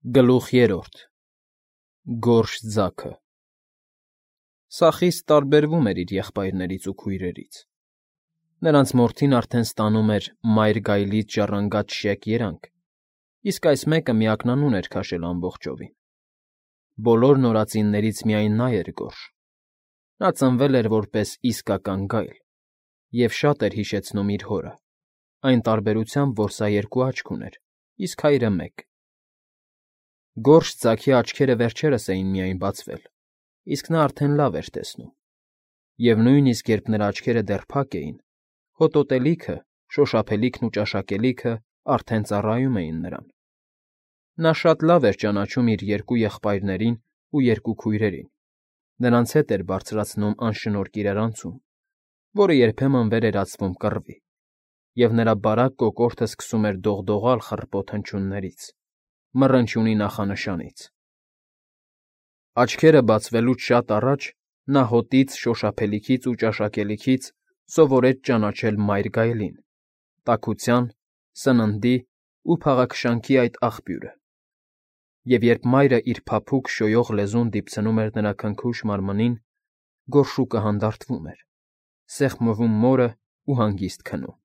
Գլուխ 3 Գորշ ձագը Սա խիստ տարբերվում էր իր եղբայրներից ու քույրերից. նրանց մորթին արդեն ստանում էր մայր գայլից ժառանգած շեկ երանգ, իսկ այս մեկը միակնանուն էր քաշել ամբողջովին. բոլոր նորածիններից միայն նա էր գորշ. նա ծնվել էր որպես իսկական գայլ և շատ էր հիշեցնում իր հորը, այն տարբերությամբ, որ սա երկու աչք ուներ, իսկ հայրը մեկ. Գորշ ձագի աչքերը վերջերս էին միայն բացվել, իսկ նա արդեն լավ էր տեսնում, և նույնիսկ երբ նրա աչքերը դեռ փակ էին, հոտոտելիքը, շոշափելիքն ու ճաշակելիքը արդեն ծառայում էին նրան. նա շատ լավ էր ճանաչում իր երկու եղբայրներին ու երկու քույրերին, նրանց հետ էր բարձրացնում անշնորհ իրարանցում, որը երբեմն վեր էր ածվում կռվի, և նրա բարակ կոկորդը սկսում էր դողդողալ խռպոտ հնչյուններից, մռնչյունի նախանշանից. Աչքերը բացվելուց շատ առաջ նա հոտից, շոշափելիքից ու ճաշակելիքից սովորեց ճանաչել մայր գայլին, տաքության, սննդի ու փաղաքշանքի այդ աղբյուրը, և երբ մայրը իր փափուկ, շոյող լեզուն դիպցնում էր նրա քնքուշ մարմնին, գորշուկը հանդարտվում էր, սեղմվում մորը ու հանգիստ քնում.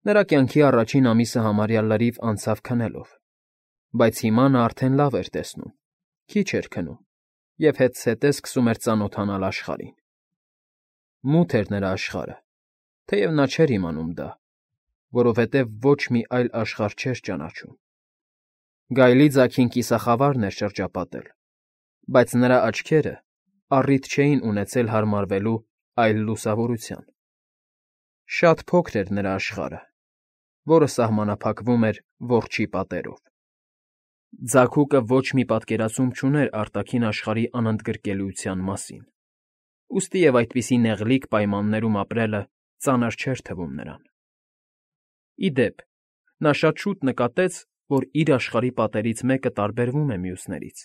նրա կյանքի առաջին ամիսը համարյա լրիվ անցավ քնելով, բայց հիմա նա արդեն լավ էր տեսնում, քիչ էր քնում և հետզհետե սկսում էր ծանոթանալ աշխարհին. մութ էր նրա աշխարհը, թեև նա չէր իմանում դա, որովհետև ոչ մի այլ աշխարհ չէր ճանաչում. գայլի ձագին կիսախավարն էր շրջապատել, բայց նրա աչքերը առիթ չէին ունեցել հարմարվելու այլ լուսավորության. շատ փոքր էր նրա աշխարհը, որը սահմանափակվում էր որջի պատերով. ձագուկը ոչ մի պատկերացում չուներ արտաքին աշխարհի անընդգրկելիության մասին, ուստի և այդպիսի նեղլիկ պայմաններում ապրելը ծանր չէր թվում նրան. Ի դեպ, նա շատ շուտ նկատեց, որ իր աշխարհի պատերից մեկը տարբերվում է մյուսներից.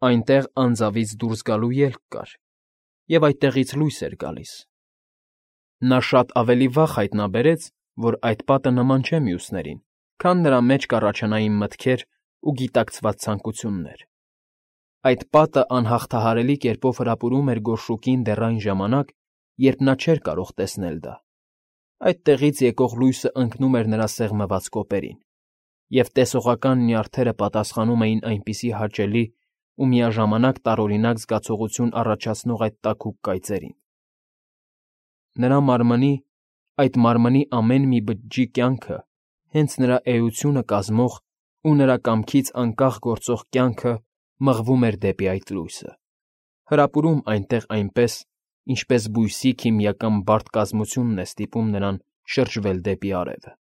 այնտեղ անձավից դուրս գալու ելք կար, և այդտեղից լույս էր գալիս. նա շատ ավելի վաղ հայտնաբերեց, որ այդ պատը նման չէ մյուսներին, քան նրա մեջ կառաջանային մտքեր ու գիտակցված ցանկություններ. այդ պատը անհաղթահարելի կերպով հրապուրում էր գորշուկին դեռ այն ժամանակ, երբ նա չէր կարող տեսնել դա. այդտեղից եկող լույսը ընկնում էր նրա սեղմված կոպերին, և տեսողական նյարդերը պատասխանում էին այնպիսի հաճելի ու միաժամանակ տարօրինակ զգացողություն առաջացնող այդ տաքուկ կայծերին. նրա մարմնի, այդ մարմնի ամեն մի բջջի կյանքը, հենց նրա էությունը կազմող ու նրա կամքից անկախ գործող կյանքը մղվում էր դեպի այդ լույսը, հրապուրում այնտեղ այնպես, ինչպես բույսի քիմիական բարդ կազմությունն է ստիպում նրան շրջվել դեպի արևը.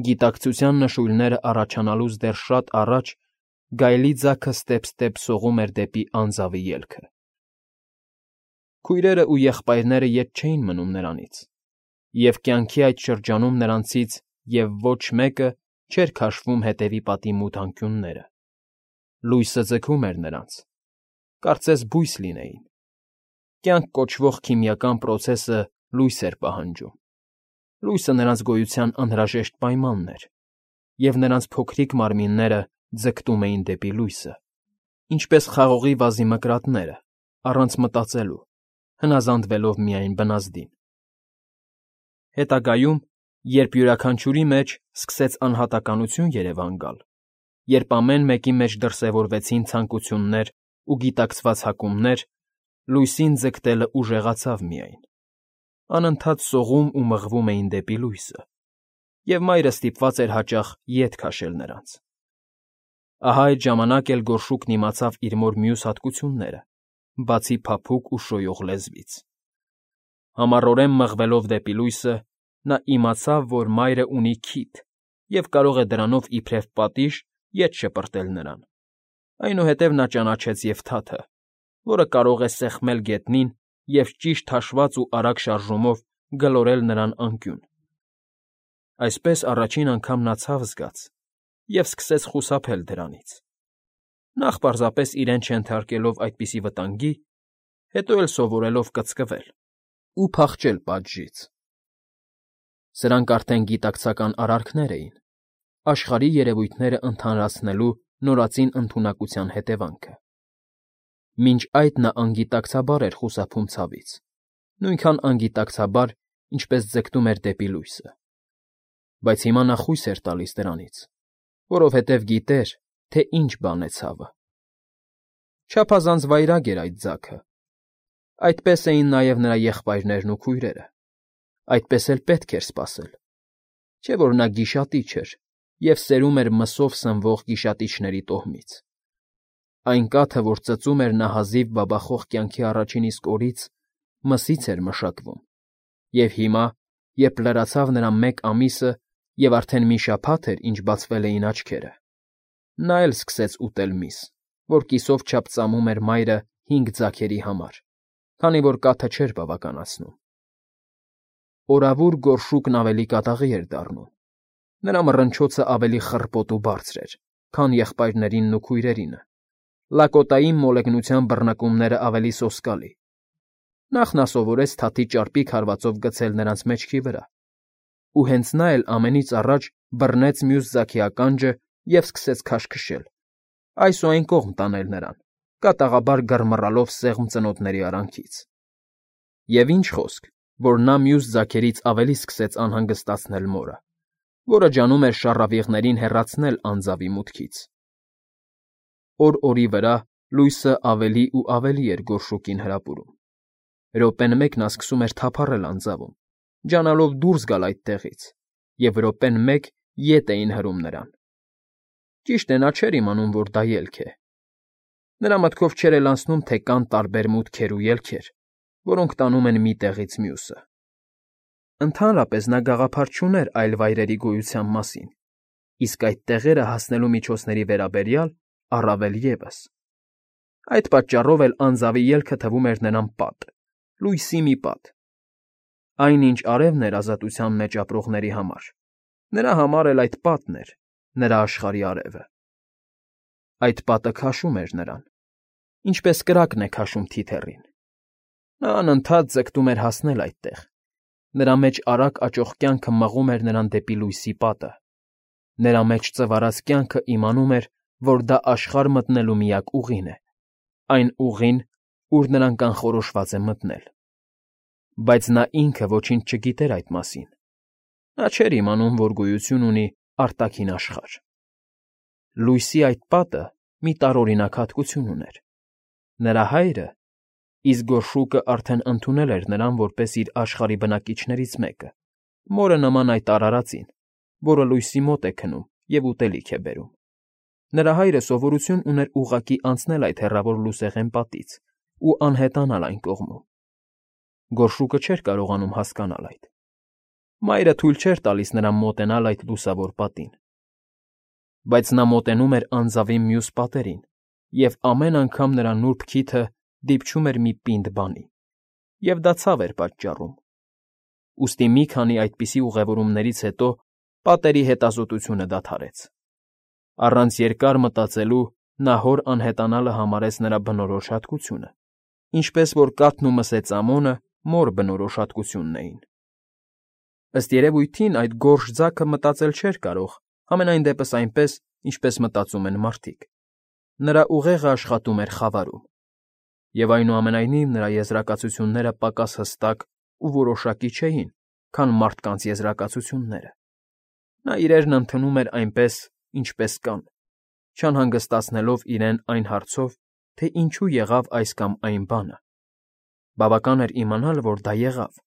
գիտակցության նշույլները առաջանալուց դեռ շատ առաջ գայլի ձագը ստեպ-ստեպ սողում էր դեպի անձավի ելքը. քույրերն ու եղբայրները ետ չէին մնում նրանից, և կյանքի այդ շրջանում նրանցից և ոչ մեկը չէր քաշվում հետևի պատի մութ անկյունները. լույսը ձգում էր նրանց, կարծես բույս լինեին. կյանք կոչվող քիմիական պրոցեսը լույս էր պահանջում, լույսը նրանց գոյության անհրաժեշտ պայմանն էր, և նրանց փոքրիկ մարմինները ձգտում էին դեպի լույսը, ինչպես խաղողի վազի մկրատները, առանց մտածելու, հնազանդվելով միայն բնազդին. հետագայում, երբ յուրաքանչյուրի մեջ սկսեց անհատականություն երևան գալ, երբ ամեն մեկի մեջ դրսևորվեցին ցանկություններ ու գիտակցված հակումներ, լույսին ձգտելը ուժեղացավ միայն, անընդհատ սողում ու մղվում էին դեպի լույսը, և մայրը ստիպված էր հաճախ ետ քաշել նրանց. ահա այդ ժամանակ էլ գորշուկն իմացավ իր մոր մյուս հատկությունները, բացի փափուկ ու շոյող լեզվից. համառորեն մղվելով դեպի լույսը, նա իմացավ, որ մայրը ունի քիթ և կարող է դրանով իբրև պատիժ ետ շպրտել նրան, այնուհետև նա ճանաչեց և թաթը, որը կարող է սեղմել գետնին և ճիշտ հաշված ու արագ շարժումով գլորել նրան անկյուն. այսպես առաջին անգամ նա ցավ զգաց և սկսեց խուսափել դրանից, նախ պարզապես իրեն չենթարկելով այդպիսի վտանգի, հետո էլ սովորելով կծկվել ու փախչել պատժից. սրանք արդեն գիտակցական արարքներ էին, աշխարհի երևույթները ընդհանրացնելու նորածին ընդունակության հետևանքը։ Մինչ այդ նա անգիտակցաբար էր խուսափում ցավից, նույնքան անգիտակցաբար, ինչպես ձգտում էր դեպի լույսը։ Բայց հիմա նա խույս էր տալիս դրանից, որովհետև գիտեր, թե ինչ բան է ցավը։ Չափազանց վայրագ էր այդ ձագը։ Այդպես էին նաև նրա եղբայրներն ու քույրերը։ Այդպես էլ պետք էր սպասել։ Չէ՞ որ նա գիշատիչ էր և սերում էր մսով սնվող գիշատիչների տոհմից։ Այն կաթը, որ ծծում էր նա հազիվ բաբախող կյանքի առաջին իսկ օրից, մսից էր մշակվում, և հիմա, երբ լրացավ նրա 1 ամիսը և արդեն մի շաբաթ էր, ինչ բացվել էին աչքերը, նա էլ սկսեց ուտել միս, որ կիսով չափ ծամում էր մայրը 5 ձագերի համար, քանի որ կաթը չէր բավականացնում։ Օրավուր գորշուկն ավելի կատաղի էր դառնում։ Նրա մռնչոցը ավելի խռպոտ ու բարձր էր, քան եղբայրներինն ու քույրերինը, լակոտային մոլեգնության բռնկումները ավելի սոսկալի։ Նախ նա սովորեց թաթի ճարպիկ հարվածով գցել նրանց մեջքի վրա, ու հենց նա էլ ամենից առաջ բռնեց մյուս ձագի ականջը և սկսեց քաշքշել, այս ու այն կողմ տանել նրան, կատաղաբար գռմռալով սեղմ ծնոտների արանքից։ Եվ ինչ խոսք, որ նա մյուս ձագերից ավելի սկսեց անհանգստացնել մորը, որը ջանում էր շառավիղներին հեռացնել անձավի մուտքից։ Օր օրի վրա լույսը ավելի ու ավելի էր գորշուկին հրապուրում։ Րոպեն մեկ նա սկսում էր թափառել անձավում, ջանալով դուրս գալ այդտեղից, և րոպեն մեկ ետ էին հրում նրան։ Ճիշտ է, նա չէր իմանում, որ դա ելք է։ Նրա մտքով չէր էլ անցնում, թե կան տարբեր մուտքեր ու ելքեր, որոնք տանում են մի տեղից մյուսը։ Ընդհանրապես նա գաղափար չուներ այլ վայրերի գոյության մասին, իսկ այդ տեղերը հասնելու միջոցների վերաբերյալ առավել ևս։ Այդ պատճառով էլ անձավի ելքը թվում էր նրան պատ, լույսի մի պատ։ Այն, ինչ արևն էր ազատության մեջ ապրողների համար, նրա համար էլ այդ պատն էր, նրա աշխարհի արևը։ Այդ պատը քաշում էր նրան, ինչպես կրակն է քաշում թիթեռին։ Նա անընդհատ ձգտում էր հասնել այդտեղ։ Նրա մեջ արագ աճող կյանքը մղում էր նրան դեպի լույսի պատը։ Նրա մեջ ծվարած կյանքը իմանում էր, որ դա աշխարհ մտնելու միակ ուղին է, այն ուղին, ուր նրան կանխորոշված է մտնել։ Բայց նա ինքը ոչինչ չգիտեր այդ մասին։ Նա չէր իմանում, որ գոյություն ունի արտաքին աշխարհ։ Լույսի այդ պատը մի տարօրինակ հատկություն ուներ։ Նրա հայրը, իսկ գորշուկը արդեն ընդունել էր նրան որպես իր աշխարհի բնակիչներից մեկը, մորը նման այդ արարածին, որը լույսի մոտ է քնում և ուտելիք է բերում։ Նրա հայրը սովորություն ուներ ուղղակի անցնել այդ հեռավոր լուսեղեն պատից ու անհետանալ այն կողմում։ Գորշուկը չէր կարողանում հասկանալ այդ։ Մայրը թույլ չէր տալիս նրան մոտենալ այդ լուսավոր պատին։ Բայց նա մոտենում էր անձավի մյուս պատերին, և ամեն անգամ նրա նուրբ քիթը դիպչում էր մի պինդ բանի, և դա ցավ էր պատճառում։ Ուստի մի քանի այդպիսի ուղևորումներից հետո պատերի հետազոտությունը դադարեց։ Առանց երկար մտածելու նա հոր անհետանալը համարեց նրա բնորոշ հատկությունը, ինչպես որ կաթն ու մսեծամոնը մոր բնորոշ հատկությունն էին։ Ըստ երևույթին այդ գորշ ձագը մտածել չէր կարող, համենայն դեպս այնպես, ինչպես մտածում են մարդիկ։ Նրա ուղեղը աշխատում էր խավարում։ Եվ այնուամենայնիվ նրա եզրակացությունները պակաս հստակ ու որոշակի չէին, քան մարդկանց եզրակացությունները։ Նա իրերն ընդունում էր այնպես, ինչպես կան, չանհանգստացնելով իրեն այն հարցով, թե ինչու եղավ այս կամ այն բանը։ Բավական էր իմանալ, որ դա եղավ։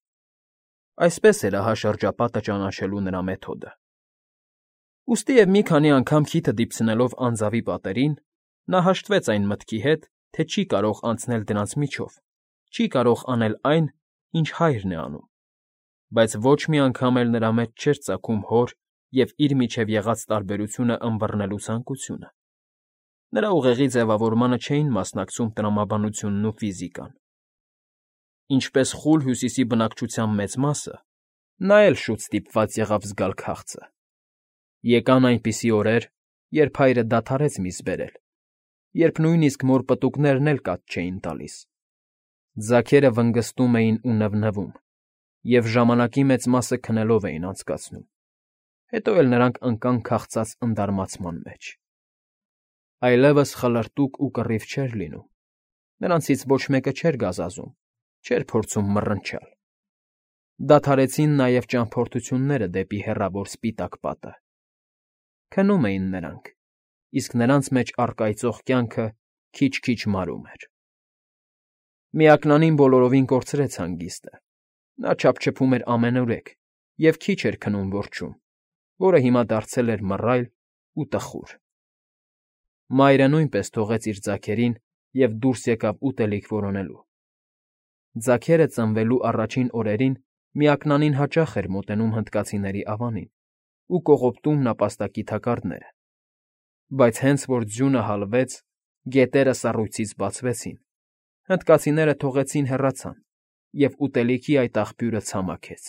Այսպես էր ահա շրջապատը ճանաչելու նրա մեթոդը։ Ուստի և մի քանի անգամ քիթը դիպցնելով անձավի պատերին, նա հաշտվեց այն մտքի հետ, թե չի կարող անցնել դրանց միջով, չի կարող անել այն, ինչ հայրն է անում։ Բայց ոչ մի անգամ էլ նրա մեջ չէր ծագում հոր և իր միջև եղած տարբերությունը ըմբռնելու ցանկությունը։ Նրա ուղեղի ձևավորմանը չէին մասնակցում տրամաբանությունն ու ֆիզիկան։ Ինչպես խուլ Հյուսիսի բնակչության մեծ մասը, նա էլ շուտ ստիպված եղավ զգալ քաղցը։ Եկան այնպիսի օրեր, երբ հայրը դադարեց միս բերել, երբ նույնիսկ մոր պտուկներն էլ կաթ չէին տալիս։ Ձագերը վնգստում էին ու նվնվում, և ժամանակի մեծ մասը քնելով էին անցկացնում։ Հետո էլ նրանք ընկան քաղցած ընդարմացման մեջ։ Այլևս խլրտուկ ու կռիվ չէր լինում, նրանցից ոչ մեկը չէր գազազում, չէր փորձում մռնչալ։ Դադարեցին նաև ճամփորդությունները դեպի հեռավոր սպիտակ պատը։ Քնում էին նրանք, իսկ նրանց մեջ առկայծող կյանքը քիչ-քիչ մարում էր։ Միակնանին բոլորովին կորցրեց հանգիստը։ Նա չափչփում էր ամենուրեք և քիչ էր քնում որջում, որը հիմա դարձել էր մռայլ ու տխուր։ Մայրը նույնպես թողեց իր ձագերին և դուրս եկավ ուտելիք որոնելու։ Ձագերը ծնվելու առաջին օրերին միակնանին հաճախ էր մոտենում հնդկացիների ավանին ու կողոպտում նապաստակի թակարդները, բայց հենց որ ձյունը հալվեց, գետերը սառույցից բացվեցին, հնդկացիները թողեցին հեռացան, և ուտելիքի այդ աղբյուրը ցամաքեց։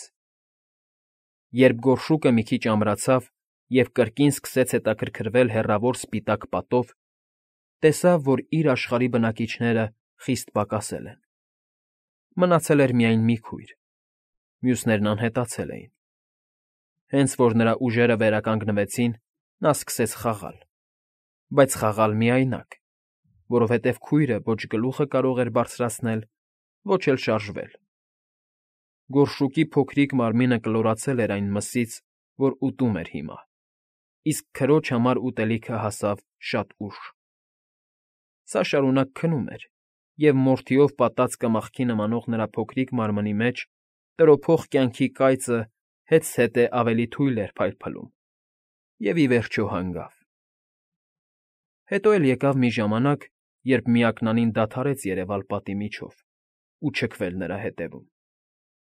Երբ գորշուկը մի քիչ ամրացավ և կրկին սկսեց հետաքրքրվել հեռավոր սպիտակ պատով, տեսավ, որ իր աշխարհի բնակիչները խիստ պակասել են։ Մնացել էր միայն մի քույր, մյուսներն անհետացել էին։ Հենց որ նրա ուժերը վերականգնվեցին, նա սկսեց խաղալ, բայց խաղալ միայնակ, որովհետև քույրը ոչ գլուխը կարող էր բարձրացնել, ոչ էլ շարժվել։ Գորշուկի փոքրիկ մարմինը կլորացել էր այն մսից, որ ուտում էր հիմա, իսկ քրոջ համար ուտելիքը հասավ շատ ուշ։ Սա շարունակ քնում էր, և մորթիով պատած կմախքի նմանող նրա փոքրիկ մարմնի մեջ տրոփող կյանքի կայծը հետզհետե ավելի թույլ էր փայլփլում, և ի վերջո հանգավ։ Հետո էլ եկավ մի ժամանակ, երբ միակնանին դադարեց երևալ պատի միջով ու չքվել նրա ետևում,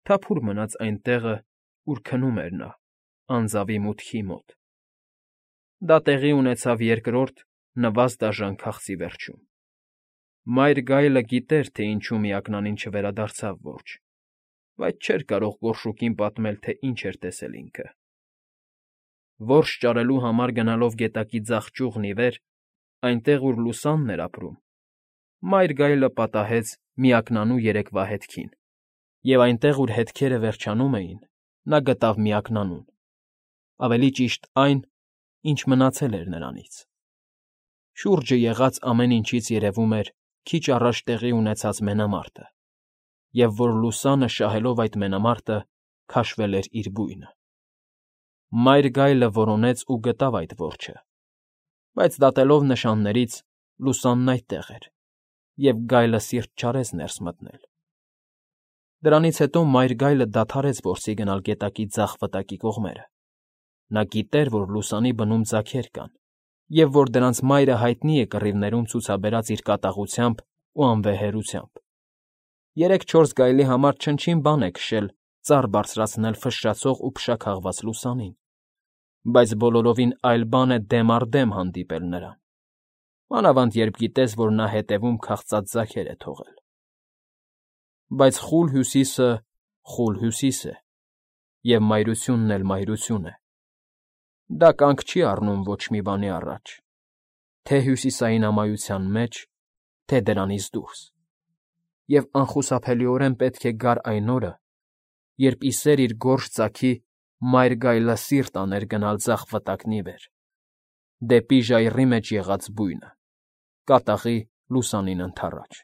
թափուր մնաց այն տեղը, ուր քնում էր նա, անձավի մուտքի մոտ։ Դա տեղի ունեցավ երկրորդ, նվազ-դաժան քաղցի վերջում։ Մայր գայլը գիտեր, թե ինչու միակնանին չվերադարձավ որջը, բայց չէր կարող գորշուկին պատմել, թե ինչ էր տեսել ինքը։ Որս ճարելու համար գնալով գետակի ձախ ճյուղն ի վեր, այնտեղ, ուր լուսանն էր ապրում, մայր գայլը պատահեց միակնանու երեկվա հետքին, և այնտեղ, ուր հետքերը վերջանում էին, նա գտավ միակնանուն, ավելի ճիշտ այն, ինչ մնացել էր նրանից։ Շուրջը եղած ամեն ինչից երևում էր քիչ առաջ տեղի ունեցած մենամարտը, և որ լուսանը շահելով այդ մենամարտը քաշվել էր իր բույնը։ Մայր գայլը որոնեց ու գտավ այդ որջը, բայց դատելով նշաններից լուսանն այդտեղ էր, և գայլը սիրտ չարեց ներս մտնել։ Դրանից հետո մայր գայլը դադարեց որսի գնալ գետակի ձախ վտակի կողմերը։ Նա գիտեր, որ լուսանի բնում ձագեր կան, և որ դրանց մայրը հայտնի է կռիվներում ցուցաբերած իր կատաղությամբ ու անվեհերությամբ։ 3-4 գայլի համար չնչին բան է քշել ծառ բարձրացնել ֆշշացող ու փշաքաղված լուսանին, բայց բոլորովին այլ բան է դեմ առ դեմ հանդիպել նրան, մանավանդ երբ գիտես, որ նա հետևում քաղցած ձագեր է թողել։ Բայց խուլ Հյուսիսը խուլ Հյուսիս է, և մայրությունն էլ մայրություն է։ Դա կանգ չի առնում ոչ մի բանի առաջ, թե հյուսիսային ամայության մեջ, թե դրանից դուրս, և անխուսափելիորեն պետք է գար այն օրը, երբ ի սեր իր գորշ ձագի մայր գայլը սիրտ աներ գնալ ձախ վտակն ի վեր, դեպի ժայռի մեջ եղած բույնը, կատաղի լուսանին ընդառաջ։